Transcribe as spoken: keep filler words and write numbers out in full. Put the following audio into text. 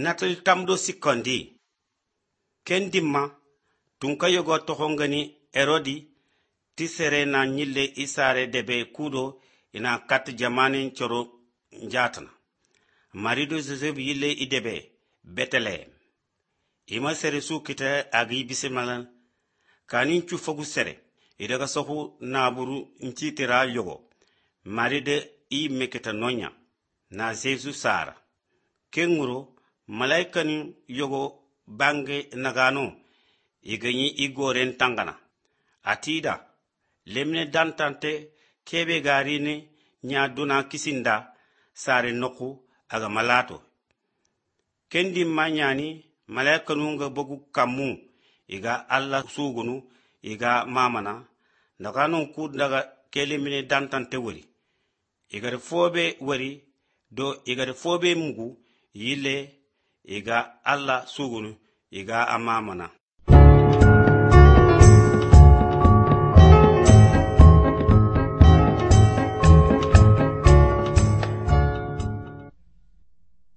natal tamdo sikondi ken dimma tunka yogo tohongani erodi ti sere na nyille isare debe kudo ina kat jamanin choro njatana marido joseph yille idebe betelehem ima sere su kita agi bisemalan kanin chu fogu sere idaga sohu naburu nchitira yogo maride i meketa nonya na jesu sara kenguro malaikani yogo bange nagano iganyi igoren tangana atida lemne dantante kebe garini nya duna kisinda sare noku aga malato kendi manyani malaikanu nga bogu kamu iga alla sugunu iga mamana nagano ku daga kelemine dantante wari iga fobe wari do iga fobe mugu yile iga alla sugunu iga amamana